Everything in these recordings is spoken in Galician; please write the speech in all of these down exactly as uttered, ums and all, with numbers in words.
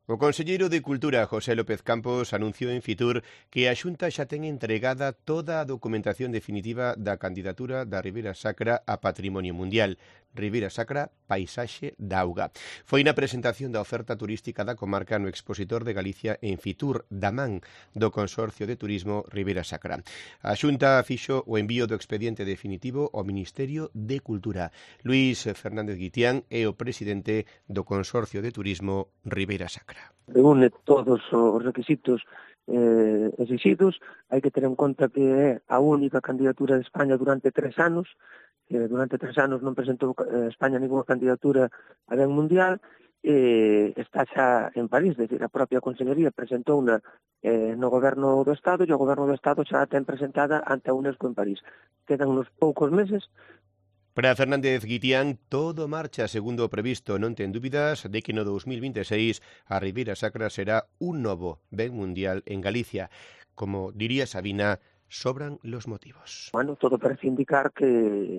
O conselleiro de Cultura, José López Campos, anunciou en Fitur que a Xunta xa ten entregada toda a documentación definitiva da candidatura da Ribeira Sacra a Patrimonio Mundial. Ribeira Sacra, paisaxe da auga. Foi na presentación da oferta turística da comarca no Expositor de Galicia en Fitur, da man do Consorcio de Turismo Ribeira Sacra. A Xunta fixo o envío do expediente definitivo ao Ministerio de Cultura. Luís Fernández Guitián é o presidente do Consorcio de Turismo Ribeira Sacra. Reúne todos os requisitos eh, exigidos. Hai que ter en conta que é a única candidatura de España durante tres anos. Eh, durante tres anos non presentou eh, España ninguna candidatura a ben mundial. Eh, está xa en París, é dicir, a propia Consellería presentou una eh, no Goberno do Estado e o Goberno do Estado xa a ten presentada ante a UNESCO en París. Quedan uns poucos meses. Para Fernández Guitián, todo marcha segundo o previsto. Non ten dúbidas de que no dos mil vinte e seis a Ribeira Sacra será un novo ben mundial en Galicia. Como diría Sabina, sobran los motivos. Bueno, todo parece indicar que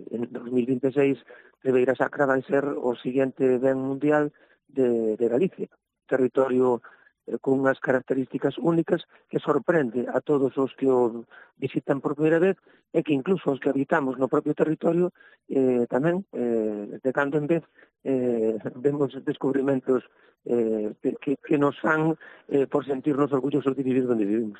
en dos mil vinte e seis Ribeira Sacra vai ser o siguiente ben mundial de, de Galicia. Territorio eh, con unhas características únicas que sorprende a todos os que o visitan por primeira vez e que incluso os que habitamos no propio territorio eh, tamén, eh, de cando en vez, eh, vemos descubrimentos eh, que, que nos fan eh, por sentirnos orgullosos de vivir onde vivimos.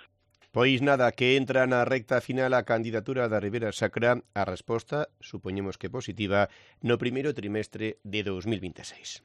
Pois nada, que entra na recta final a candidatura da Ribeira Sacra, a resposta, supoñemos que positiva, no primeiro trimestre de dos mil vinte e seis.